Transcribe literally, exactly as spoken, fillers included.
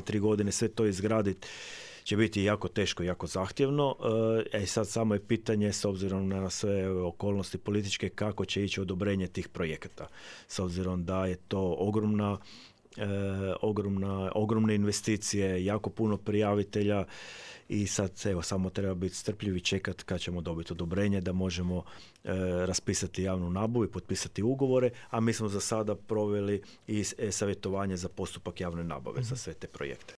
tri godine sve to izgraditi će biti jako teško, jako zahtjevno. E sad samo je pitanje, s obzirom na sve okolnosti političke, kako će ići odobrenje tih projekata. S obzirom da je to ogromna, e, ogromna, ogromne investicije, jako puno prijavitelja i sad evo, samo treba biti strpljivi i čekati kad ćemo dobiti odobrenje da možemo e, raspisati javnu nabavu i potpisati ugovore, a mi smo za sada proveli i e-savjetovanje za postupak javne nabave mm-hmm. za sve te projekte.